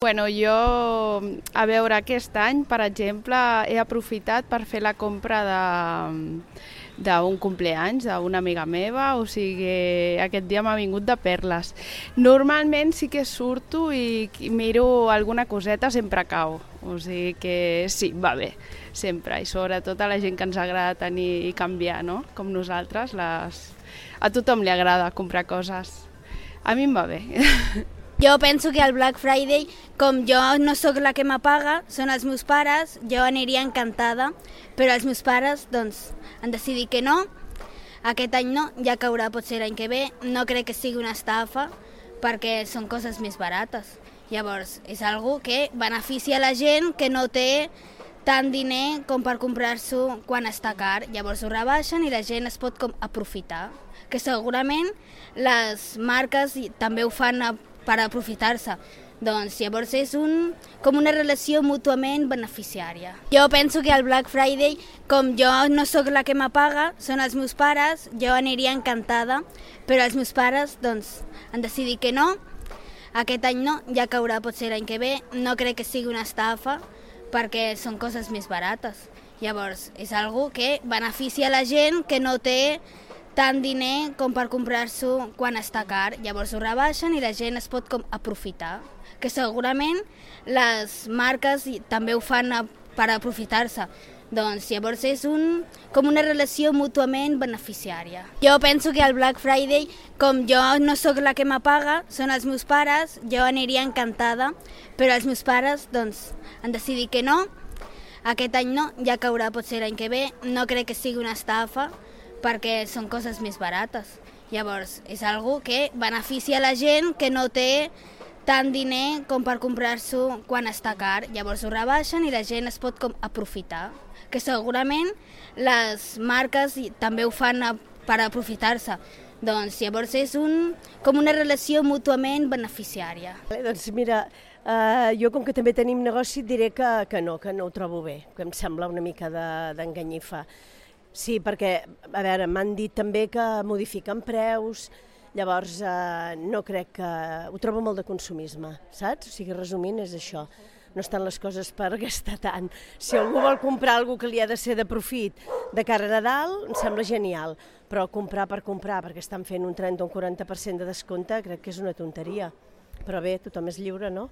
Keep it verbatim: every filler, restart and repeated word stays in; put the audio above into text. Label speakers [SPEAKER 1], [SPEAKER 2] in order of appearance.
[SPEAKER 1] Bueno, jo, a veure, aquest any, per exemple, he aprofitat per fer la compra de d'un compleanys d'una amiga meva, o sigui, aquest dia m'ha vingut de perles. Normalment sí que surto i miro alguna coseta, sempre cau, o sigui que sí, va bé, sempre, i sobretot a la gent que ens agrada tenir i canviar, no?, com nosaltres, les... a tothom li agrada comprar coses. A mi em va bé.
[SPEAKER 2] Jo penso que el Black Friday, com jo no sóc la que m'apaga, són els meus pares, jo aniria encantada, però els meus pares doncs, han decidit que no, aquest any no, ja caurà potser l'any que ve, no crec que sigui una estafa, perquè són coses més barates. Llavors, és algo que beneficia la gent que no té tant diner com per comprar-s'ho quan està car, llavors ho rebaixen i la gent es pot com aprofitar, que segurament les marques també ho fan a per aprofitar-se. Doncs llavors és un, com una relació mútuament beneficiària. Jo penso que el Black Friday, com jo no sóc la que m'apaga, són els meus pares, jo aniria encantada, però els meus pares doncs, han decidit que no, aquest any no, ja caurà potser l'any que ve, no crec que sigui una estafa, perquè són coses més barates. Llavors és algo que beneficia la gent que no té tant diner com per comprar-s'ho quan està car, llavors ho rebaixen i la gent es pot com aprofitar, que segurament les marques també ho fan a, per aprofitar-se. Doncs llavors és un, com una relació mútuament beneficiària. Jo penso que el Black Friday, com jo no sóc la que m'apaga, són els meus pares, jo aniria encantada, però els meus pares doncs, han decidit que no, aquest any no, ja caurà potser l'any que ve, no crec que sigui una estafa, perquè són coses més barates. Llavors, és algo que beneficia la gent que no té tant diner com per comprar-s'ho quan està car, llavors ho rebaixen i la gent es pot com aprofitar, que segurament les marques també ho fan a, per aprofitar-se. Doncs llavors és un, com una relació mútuament beneficiària.
[SPEAKER 3] Doncs mira, eh, jo com que també tenim negoci et diré que, que no, que no ho trobo bé, que em sembla una mica d'enganyifa. De, Sí, perquè, a veure, m'han dit també que modifiquen preus, llavors eh, no crec que... Ho trobo molt de consumisme, saps? O sigui, resumint, és això. No estan les coses per gastar tant. Si algú vol comprar alguna que li ha de ser de profit de cara a Nadal, em sembla genial, però comprar per comprar, perquè estan fent un trenta o un quaranta per cent de descompte, crec que és una tonteria. Però bé, tothom és lliure, no?